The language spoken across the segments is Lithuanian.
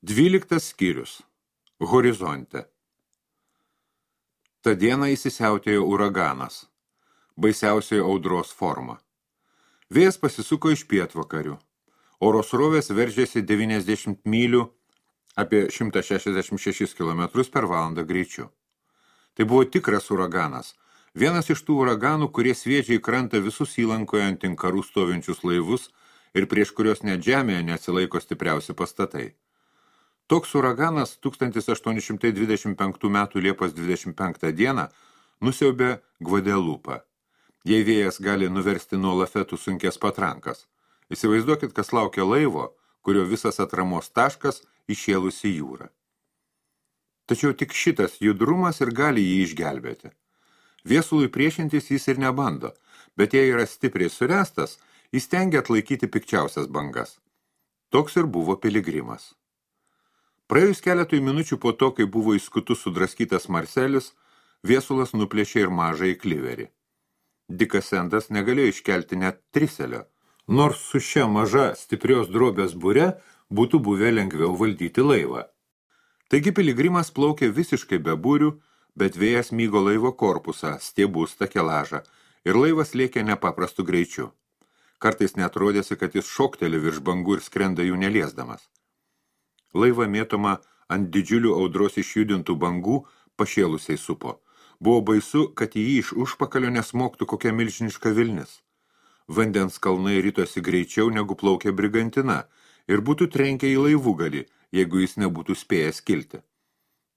12 skyrius. Horizonte. Ta diena įsisiautėjo uraganas, baisiausioji audros forma. Vėjas pasisuko iš pietvakarių. Oro srovės veržėsi 90 mylių apie 166 km per valandą greičiu. Tai buvo tikras uraganas, vienas iš tų uraganų, kurie sviedžia į krantą visus įlankoje ant inkarų stovinčius laivus ir prieš kurios net žemėje neatsilaiko stipriausi pastatai. Toks uraganas 1825 metų Liepos 25 dieną nusiaubė Gvadelupą. Jei vėjas gali nuversti nuo lafetų sunkės patrankas, įsivaizduokit, kas laukia laivo, kurio visas atramos taškas išėlusi jūrą. Tačiau tik šitas judrumas ir gali jį išgelbėti. Viesului priešintis jis ir nebando, bet jei yra stipriai surestas, jis tengia atlaikyti pikčiausias bangas. Toks ir buvo piligrimas. Praėjus keletui minučių po to, kai buvo į skutus sudraskytas Marselis, viesulas nuplėšė ir mažąjį kliverį. Dikas Sendas negalėjo iškelti net triselio, nors su šia maža stiprios drobės būre būtų buvę lengviau valdyti laivą. Taigi piligrimas plaukė visiškai be būrių, bet vėjas mygo laivo korpusą, stiebus, takelažą ir laivas lėkė nepaprastu greičiu. Kartais net rodėsi, kad jis šokteli virš bangų ir skrenda jų neliesdamas. Laivą mėtoma ant didžiulių audros išjudintų bangų pašėlusiai supo. Buvo baisu, kad į jį iš užpakalio nesmoktų kokia milžiniška vilnis. Vandens kalnai ritosi greičiau negu plaukė brigantina ir būtų trenkę į laivugalį, jeigu jis nebūtų spėjęs kilti.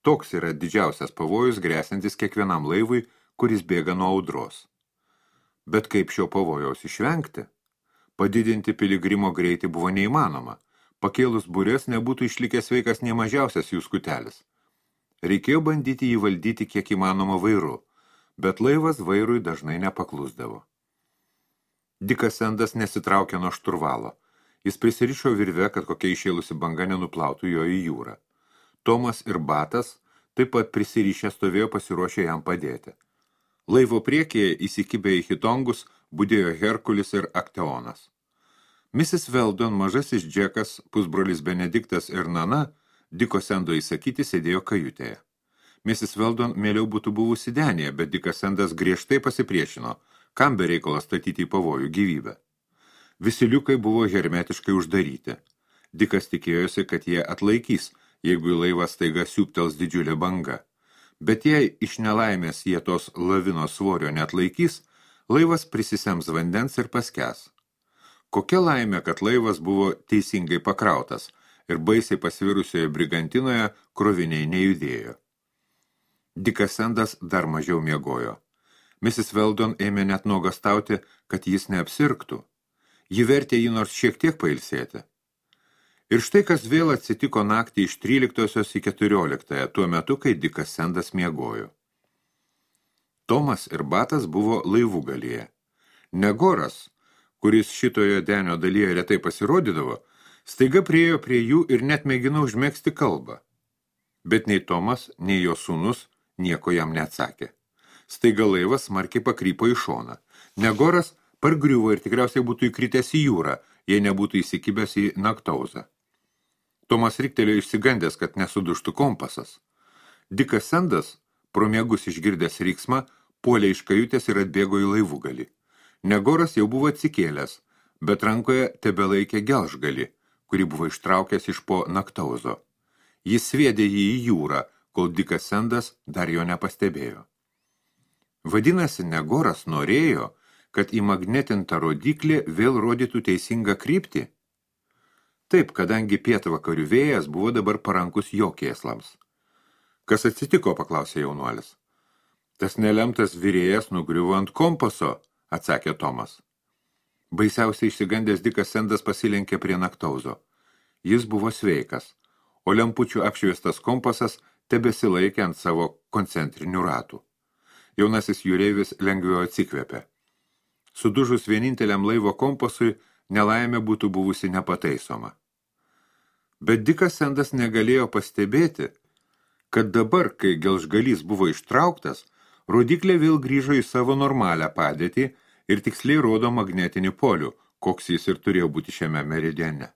Toks yra didžiausias pavojus grėsiantis kiekvienam laivui, kuris bėga nuo audros. Bet kaip šio pavojaus išvengti? Padidinti piligrimo greitį buvo neįmanoma. Pakėlus burės nebūtų išlikęs sveikas nei mažiausias jų skutelis. Reikėjo bandyti jį valdyti kiek įmanoma vairu, bet laivas vairui dažnai nepaklusdavo. Dikas Sendas nesitraukė nuo šturvalo. Jis prisirišo virve, kad kokia išėlusi banga nenuplautų jo į jūrą. Tomas ir Batas taip pat prisirišę stovėjo pasiruošę jam padėti. Laivo priekyje įsikibę į hitongus budėjo Herkulis ir Akteonas. Mrs. Weldon, mažasis Džekas, pusbrolis Benediktas ir Nana, Diko Sendo įsakyti, sėdėjo kajutėje. Mrs. Weldon mieliau būtų buvusi denėje, bet Dikas Sendas griežtai pasipriešino, kam be reikalo statyti į pavojų gyvybę. Visi liukai buvo hermetiškai uždaryti. Dikas tikėjosi, kad jie atlaikys, jeigu į laivą staiga siūptels didžiulė banga. Bet jei iš nelaimės jie tos lavinos svorio neatlaikys, laivas prisisems vandens ir paskęs. Kokia laimė, kad laivas buvo teisingai pakrautas ir baisiai pasvirusioje brigantinoje kroviniai nejudėjo. Dikas Sendas dar mažiau miegojo. Mrs. Weldon ėmė net nuogastauti, kad jis neapsirgtų. Ji vertė jį nors šiek tiek pailsėti. Ir štai kas vėl atsitiko naktį iš 13 į 14, tuo metu, kai Dikas Sendas miegojo. Tomas ir Batas buvo laivugalyje. Negoras, kuris šitoje denio dalyje retai pasirodydavo, staiga priėjo prie jų ir net mėgino užmegzti kalbą. Bet nei Tomas, nei jo sūnus nieko jam neatsakė. Staiga laivas smarkiai pakrypo į šoną. Negoras pargriuvo ir tikriausiai būtų įkritęs į jūrą, jei nebūtų įsikibęs į Naktauzą. Tomas riktelėjo išsigandęs, kad nesuduštų kompasas. Dikas Sendas, pro miegus išgirdęs riksmą, puolė iš kajutės ir atbėgo į laivugalį. Negoras jau buvo atsikėlęs, bet rankoje tebelaikė gelžgalį, kurį buvo ištraukęs iš po Naktauzo. Jis sviedė jį į jūrą, kol Dikas Sendas dar jo nepastebėjo. Vadinasi, Negoras norėjo, kad įmagnetinta rodiklė vėl rodytų teisingą kryptį? Taip, kadangi pietvakarių vėjas buvo dabar parankus jo kėslams. Kas atsitiko, paklausė jaunuolis. Tas nelemtas virėjas nugriuvo ant kompaso, atsakė Tomas. Baisiausiai išsigandęs Dikas Sendas pasilenkė prie Naktauzo. Jis buvo sveikas, o lempučių apšviestas kompasas tebesilaikė ant savo koncentrinių ratų. Jaunasis jūreivis lengviau atsikvėpė. Sudužus vieninteliam laivo kompasui, nelaimė būtų buvusi nepataisoma. Bet Dikas Sendas negalėjo pastebėti, kad dabar, kai gelžgalys buvo ištrauktas, rodiklė vėl grįžo į savo normalią padėtį ir tiksliai rodo magnetinį polių, koks jis ir turėjo būti šiame meridiane.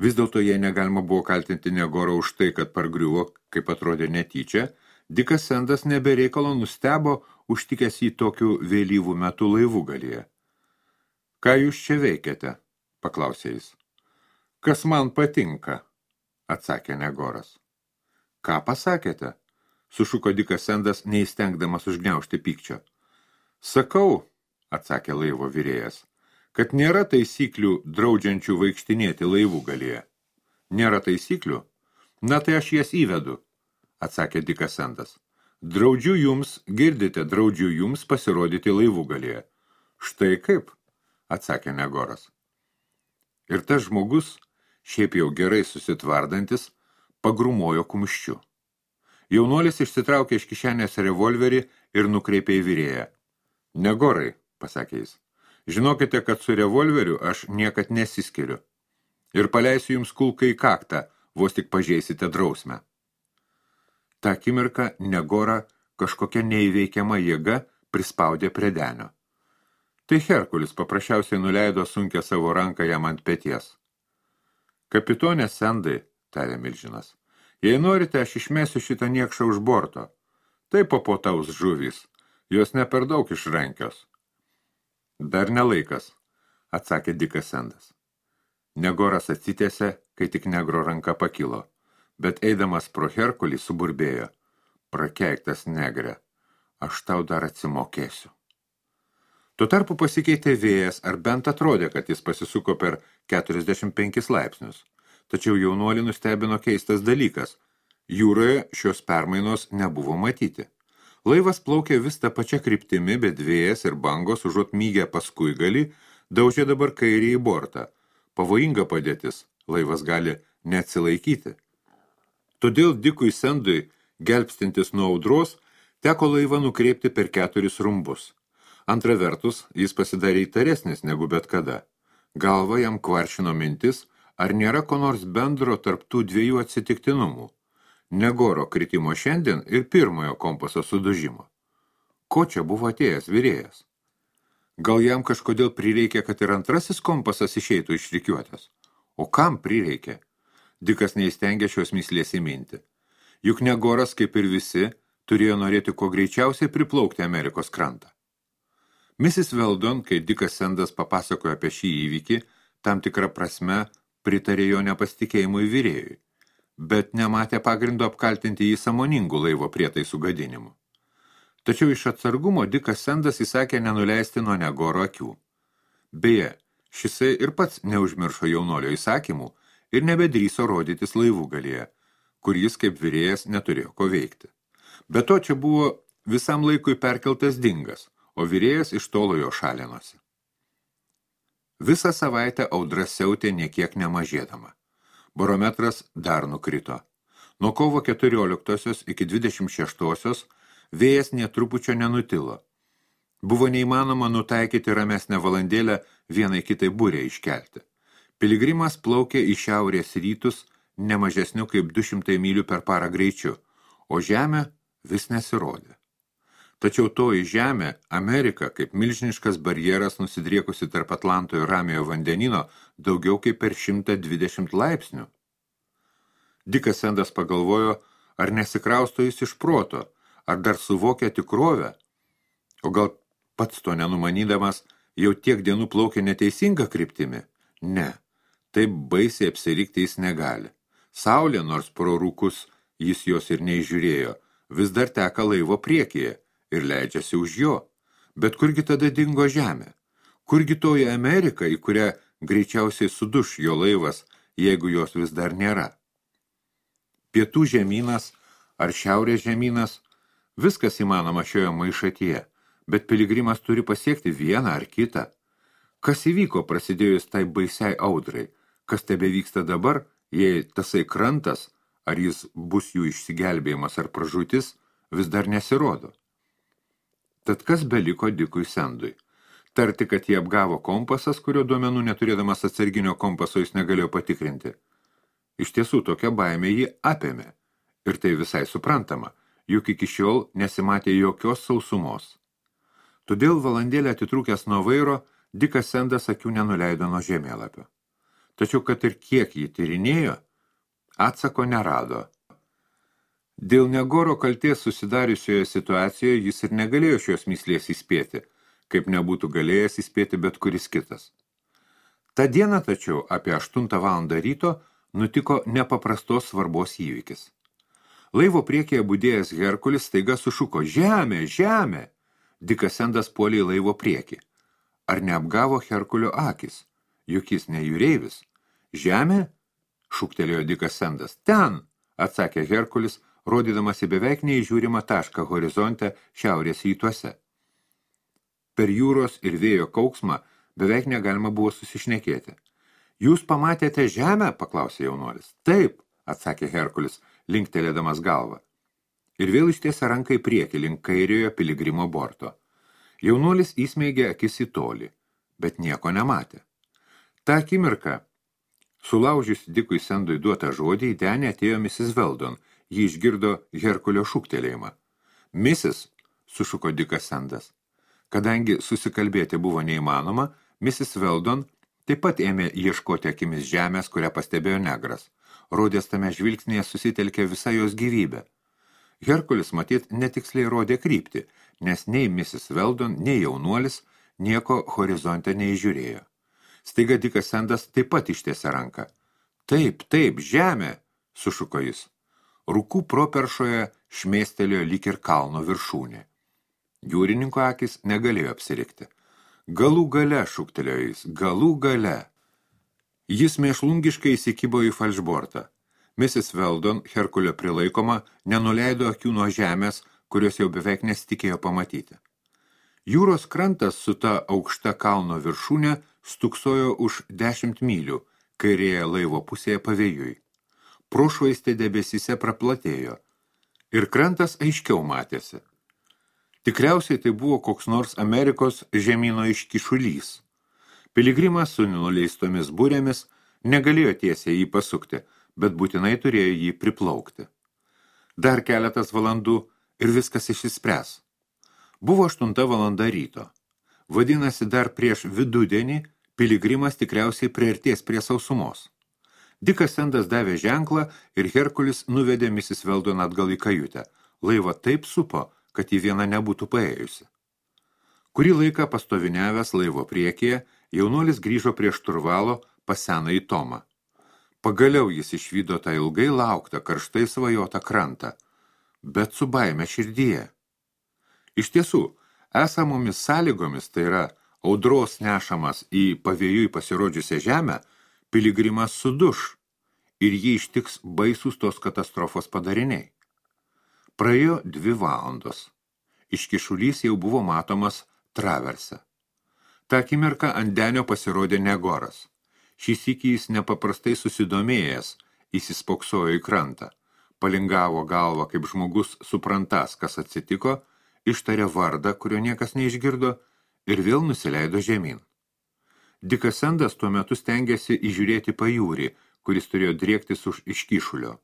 Vis dėlto jei negalima buvo kaltinti Negoro už tai, kad pargriuvo, kaip atrodė netyčia, Dikas Sendas nebereikalo nustebo užtikęs jį tokiu vėlyvų metų laivų galyje. Ką jūs čia veikiate? Paklausė jis. Kas man patinka, atsakė Negoras. Ką pasakėte? Sušuko Dikas Sendas, neįstengdamas užgniaužti pykčio. Sakau, atsakė laivo virėjas, kad nėra taisyklių draudžiančių vaikštinėti laivų galyje. Nėra taisyklių? Na tai aš jas įvedu, atsakė Dikas Sendas. Draudžiu jums, girdite, draudžiu jums pasirodyti laivų galyje. Štai kaip, atsakė Negoras. Ir tas žmogus, šiaip jau gerai susitvardantis, pagrumojo kumščiu. Jaunuolis išsitraukė iš kišenės revolverį ir nukreipė į virėją. Negorai, pasakė jis, žinokite, kad su revolveriu aš niekad nesiskiriu. Ir paleisiu jums kulką į kaktą, vos tik pažeisite drausmę. Ta akimirką Negorą kažkokia neįveikiama jėga prispaudė prie denio. Tai Herkulis paprasčiausiai nuleido sunkę savo ranką jam ant peties. Kapitonė Sendai, tarė milžinas, jei norite, aš išmesiu šitą niekšą už borto. Tai papotaus žuvys, jos ne per daug išrankios. Dar nelaikas, atsakė Dikas Sendas. Negoras atsitėsė, kai tik negro ranka pakilo, bet eidamas pro Herkulį suburbėjo. Prakeiktas negre, aš tau dar atsimokėsiu. Tuo tarpu pasikeitė vėjas, ar bent atrodė, kad jis pasisuko per 45 laipsnius. Tačiau jaunuolį nustebino keistas dalykas. Jūroje šios permainos nebuvo matyti. Laivas plaukė vis tą pačią kryptimi, bet vėjas ir bangos užuot mygę paskui gali, daužė dabar kairį į bortą. Pavojinga padėtis, laivas gali neatsilaikyti. Todėl Dikui Sendui, gelbstintis nuo audros, teko laivą nukreipti per 4 rumbus. Antra vertus, jis pasidarė įtaresnis negu bet kada. Galva jam kvaršino mintis, ar nėra ko nors bendro tarp tų dviejų atsitiktinumų. Negoro kritimo šiandien ir pirmojo kompaso sudužimo. Ko čia buvo atėjęs virėjas? Gal jam kažkodėl prireikė, kad ir antrasis kompasas išeitų iš rikiuotės? O kam prireikė? Dikas neįstengė šios myslės įminti. Juk Negoras, kaip ir visi, turėjo norėti kuo greičiausiai priplaukti Amerikos krantą. Mrs. Weldon, kai Dikas Sendas papasakojo apie šį įvykį, tam tikrą prasme pritarė jo nepasitikėjimui virėjui, bet nematė pagrindo apkaltinti jį sąmoningų laivo prietaisų gadinimu. Tačiau iš atsargumo Dikas Sendas įsakė nenuleisti nuo Negoro akių. Beje, šisai ir pats neužmiršo jaunolio įsakymų ir nebedryso rodytis laivų galyje, kur jis kaip virėjas neturėjo ko veikti. Be to čia buvo visam laikui perkeltas dingas, o virėjas iš tolo jo šalinosi. Visą savaitę audra siautė niekiek nemažėdama. Barometras dar nukrito. Nuo kovo 14 iki 26 vėjas netrupučio nenutilo. Buvo neįmanoma nutaikyti ramesnę valandėlę vienai kitai burę iškelti. Piligrimas plaukė į šiaurės rytus nemažesniu kaip 200 mylių per parą greičiu, o žemė vis nesirodė. Tačiau toji žemė, Amerika, kaip milžiniškas barjeras nusidriekusi tarp Atlanto ir Ramiojo vandenino daugiau kaip per 120 laipsnių. Dikas Sendas pagalvojo, ar nesikrausto jis iš proto, ar dar suvokia tikrovę, o gal pats to nenumanydamas jau tiek dienų plaukė neteisinga kryptimi? Ne, taip baisiai apsirikti jis negali. Saulė, nors pro rūkus jis jos ir neižiūrėjo, vis dar teka laivo priekyje ir leidžiasi už jo. Bet kurgi tada dingo žemė? Kurgi toji Amerika, į kurią greičiausiai suduš jo laivas, jeigu jos vis dar nėra? Pietų žemynas ar šiaurės žemynas, viskas įmanoma šioje maišatyje, bet piligrimas turi pasiekti vieną ar kitą. Kas įvyko prasidėjus tai baisiai audrai? Kas tebevyksta dabar, jei tasai krantas, ar jis bus jų išsigelbėjimas ar pražūtis, vis dar nesirodo? Tad kas beliko Dikui Sendui? Tarti, kad jį apgavo kompasas, kurio duomenų neturėdamas atsarginio kompaso jis negalėjo patikrinti. Iš tiesų tokia baimė jį apėmė. Ir tai visai suprantama, juk iki šiol nesimatė jokios sausumos. Todėl valandėlę atitrūkęs nuo vairo, Dikas Sendas akių nenuleido nuo žemėlapio. Tačiau, kad ir kiek jį tyrinėjo, atsako nerado. Dėl Negoro kalties susidariusioje situacijoje jis ir negalėjo šios myslės įspėti, kaip nebūtų galėjęs įspėti bet kuris kitas. Ta diena tačiau apie 8 valandą ryto nutiko nepaprastos svarbos įvykis. Laivo priekyje budėjęs Herkulis staiga sušuko: "Žemė, žemė!" Dikas Sendas puolė į laivo priekį. Ar neapgavo Herkulio akis? Juk jis ne jūreivis. "Žemė?" šūktelėjo Dikas Sendas. "Ten!" atsakė Herkulis, rodydamas į beveik neįžiūrimą tašką horizonte šiaurės rytuose. Per jūros ir vėjo kauksmą beveik negalima buvo susišnekėti. "Jūs pamatėte žemę?" paklausė jaunuolis. "Taip," atsakė Herkulis, linktelėdamas galvą. Ir vėl ištiesė ranką į priekį link kairiojo piligrimo borto. Jaunuolis įsmeigė akis į tolį, bet nieko nematė. Ta akimirką, sulaužiusi Dikui Sendui duotą žodį, į denį atėjo Mrs. Weldon. Ji išgirdo Herkulio šūktelėjimą. "Mrs." sušuko Dikas Sendas. Kadangi susikalbėti buvo neįmanoma, Mrs. Weldon taip pat ėmė ieškoti akimis žemės, kurią pastebėjo negras. Rodės tame žvilgsnėje susitelkė visa jos gyvybė. Herkulis matyt netiksliai rodė kryptį, nes nei Mrs. Weldon, nei jaunuolis nieko horizonte neįžiūrėjo. Staiga Dikas Sendas taip pat ištiesė ranką. Taip, žemė!" sušuko jis. Rūkų properšoje šmėstelėjo lyg ir kalno viršūnė. Jūrininko akis negalėjo apsirikti. "Galų gale," šūktelėjo jis, "galų gale." Jis mėšlungiškai įsikibo į falšbortą. Mrs. Weldon, Herkulio prilaikoma, nenuleido akių nuo žemės, kurios jau beveik nesitikėjo pamatyti. Jūros krantas su ta aukšta kalno viršūnė stuksojo už 10 mylių, kairėje laivo pusėje pavėjui. Prošvaistė debesyse praplatėjo ir krantas aiškiau matėsi. Tikriausiai tai buvo koks nors Amerikos žemyno iškišulys. Piligrimas su nuleistomis burėmis negalėjo tiesiai jį pasukti, bet būtinai turėjo jį priplaukti. Dar keletas valandų ir viskas išsispręs. Buvo 8 valanda ryto. Vadinasi, dar prieš vidudienį piligrimas tikriausiai priartės prie sausumos. Dikas Sendas davė ženklą ir Herkulis nuvedė Mrs. Weldon atgal į kajutę. Laivą taip supo, kad į vieną nebūtų paėjusi. Kurį laiką pastoviniavęs laivo priekyje, jaunuolis grįžo prie šturvalo pas senąjį Tomą. Pagaliau jis išvydo tą ilgai lauktą, karštai svajotą krantą, bet su baime širdyje. Iš tiesų, esamomis sąlygomis, tai yra audros nešamas į pavėjui pasirodžiusią žemę, piligrimas suduš ir jį ištiks baisus tos katastrofos padariniai. Praėjo 2 valandos. Iškišulys jau buvo matomas traverse. Ta akimirka ant denio pasirodė Negoras. Šį sykį jis nepaprastai susidomėjęs, įsispoksojo į krantą. Palingavo galvą, kaip žmogus suprantas, kas atsitiko, ištarė vardą, kurio niekas neišgirdo, ir vėl nusileido žemyn. Dikas Sendas tuo metu stengėsi įžiūrėti pajūrį, kuris turėjo driektis už iškišulio.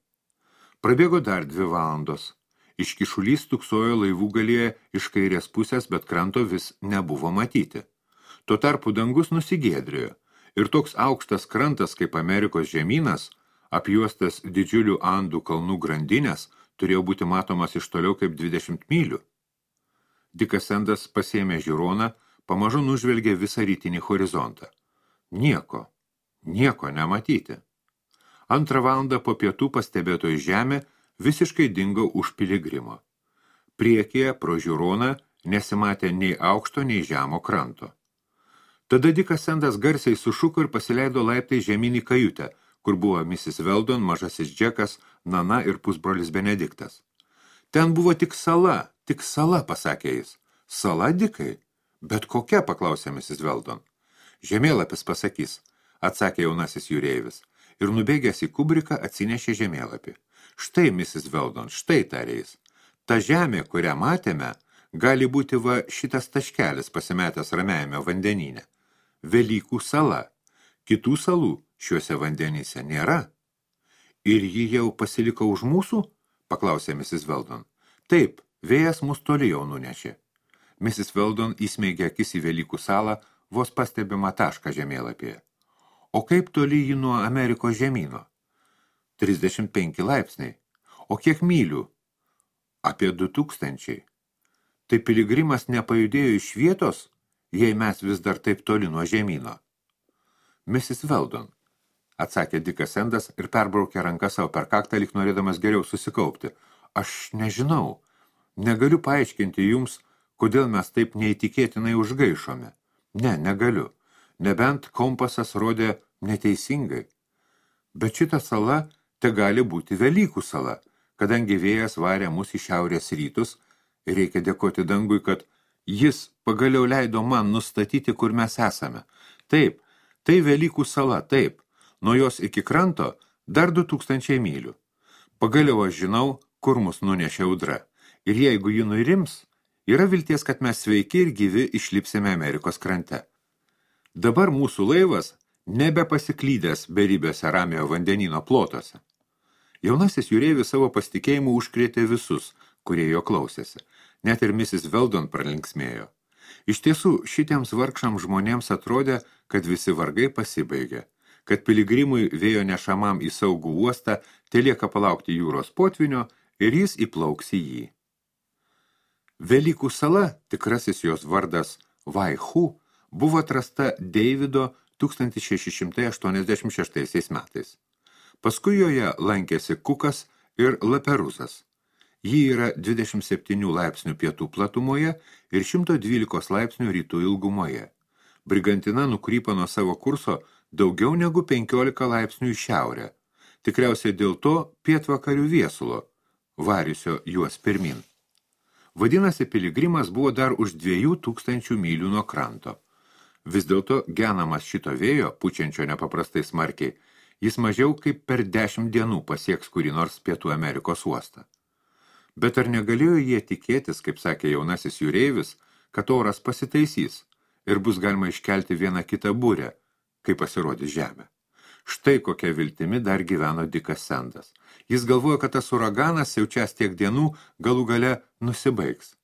Prabėgo dar 2 valandos. Iškišulys tuksojo laivų galyje iš kairės pusės, bet kranto vis nebuvo matyti. Tuo tarpu dangus nusigėdrėjo ir toks aukštas krantas kaip Amerikos žemynas, apjuostas didžiulių Andų kalnų grandinės, turėjo būti matomas iš toliau kaip 20 mylių. Dikas Sendas pasėmė žiūroną, pamažu nužvelgė visą rytinį horizontą. Nieko nematyti. 2 valandą po pietų pastebėtoji žemė visiškai dingo už piligrimo. Priekyje pro žiūroną nesimatė nei aukšto, nei žemo kranto. Tada Dikas Sendas garsiai sušuko ir pasileido laiptai žemyn į kajutę, kur buvo Mrs. Weldon, mažasis Džekas, Nana ir pusbrolis Benediktas. Ten buvo tik sala, pasakė jis. Sala, Dikai? Bet kokia, paklausė Mrs. Weldon. Žemėlapis pasakys, atsakė jaunasis jūreivis, ir nubėgęs į kubriką atsinešė žemėlapį. Štai, Mrs. Weldon, štai, tarė jis. Ta žemė, kurią matėme, gali būti va šitas taškelis pasimetęs ramiajame vandenyne. Velykų sala. Kitų salų šiuose vandenyse nėra. Ir ji jau pasiliko už mūsų? Paklausė Mrs. Weldon. Taip, vėjas mus toli jau nunešė. Mrs. Weldon įsmeigė akis į Velykų salą, vos pastebimą tašką žemėlapyje. O kaip toli jį nuo Amerikos žemyno? 35 laipsniai. O kiek mylių? Apie 2000. Tai piligrimas nepajudėjo iš vietos, jei mes vis dar taip toli nuo žemyno. Mrs. Weldon, atsakė Dikas Sendas ir perbraukė ranką savo per kaktą, lyg norėdamas geriau susikaupti. Aš nežinau, negaliu paaiškinti jums, kodėl mes taip neįtikėtinai užgaišome. Ne, negaliu. Nebent kompasas rodė neteisingai. Bet šita sala te gali būti Velykų sala, kadangi vėjas varė mus į šiaurės rytus ir reikia dėkoti dangui, kad jis pagaliau leido man nustatyti, kur mes esame. Taip, tai Velykų sala, taip. Nuo jos iki kranto dar 2000 mylių. Pagaliau aš žinau, kur mus nunešė audra. Ir jeigu ji nuirims, yra vilties, kad mes sveiki ir gyvi išlipsime Amerikos krante. Dabar mūsų laivas nebepasiklydęs beribėse Ramiojo vandenyno plotuose. Jaunasis jūreivis savo pasitikėjimu užkrėtė visus, kurie jo klausėsi. Net ir Mrs. Weldon pralinksmėjo. Iš tiesų, šitiems vargšams žmonėms atrodė, kad visi vargai pasibaigė, kad piligrimui vėjo nešamam į saugų uostą telieka palaukti jūros potvinio ir jis įplauks į jį. Velykų sala, tikrasis jos vardas Vaihu, buvo atrasta Deivido 1686 metais. Paskui joje lankėsi Kukas ir Laperuzas. Ji yra 27 laipsnių pietų platumoje ir 112 laipsnių rytų ilgumoje. Brigantina nukrypo nuo savo kurso daugiau negu 15 laipsnių į šiaurę. Tikriausiai dėl to pietvakarių viesulo, variusio juos pirmin. Vadinasi, piligrimas buvo dar už 2000 mylių nuo kranto. Vis dėlto genamas šito vėjo, pučiančio nepaprastai smarkiai, jis mažiau kaip per 10 dienų pasieks kurį nors Pietų Amerikos uostą. Bet ar negalėjo jie tikėtis, kaip sakė jaunasis jūreivis, kad oras pasitaisys ir bus galima iškelti vieną kitą burę, kai pasirodys žemė? Štai kokia viltimi dar gyveno Dikas Sendas. Jis galvojo, kad tas uraganas siaučias tiek dienų galų gale nusibaigs.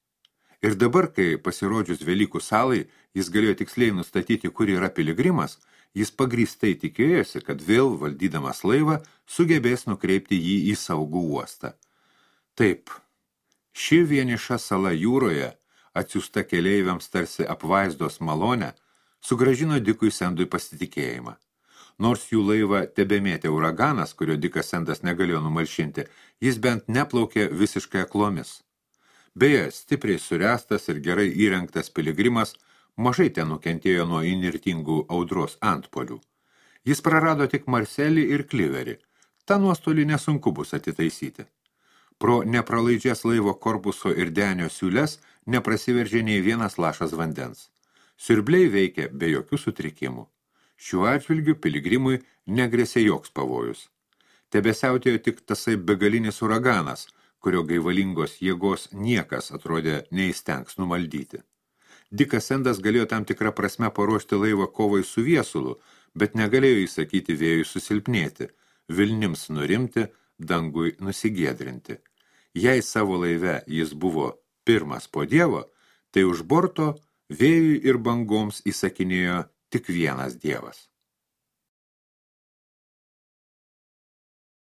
Ir dabar, kai pasirodžius Velykų salai, jis galėjo tiksliai nustatyti, kur yra piligrimas, jis pagrįstai tikėjosi, kad vėl, valdydamas laivą, sugebės nukreipti jį į saugų uostą. Taip, ši vieniša sala jūroje, atsiųsta keleiviams tarsi apvaizdos malonę, sugrąžino Dikui Sendui pasitikėjimą. Nors jų laivą tebemėtė uraganas, kurio Dikas Sendas negalėjo numalšinti, jis bent neplaukė visiškai aklomis. Beje, stipriai suręstas ir gerai įrengtas piligrimas mažai ten nukentėjo nuo įnirtingų audros antpolių. Jis prarado tik Marselį ir Kliverį. Ta nuostolį nesunku bus atitaisyti. Pro nepralaidžias laivo korpuso ir denio siūles neprasiveržė nei vienas lašas vandens. Siurbliai veikė be jokių sutrikimų. Šiuo atžvilgiu piligrimui negrėsė joks pavojus. Tebesiautėjo tik tasai begalinis uraganas, kurio gaivalingos jėgos niekas atrodė neįstengs numaldyti. Dikas Sendas galėjo tam tikrą prasme paruošti laivą kovai su viesulu, bet negalėjo įsakyti vėjui susilpnėti, vilnims nurimti, dangui nusigiedrinti. Jei savo laive jis buvo pirmas po Dievo, tai už borto vėjui ir bangoms įsakinėjo tik vienas Dievas.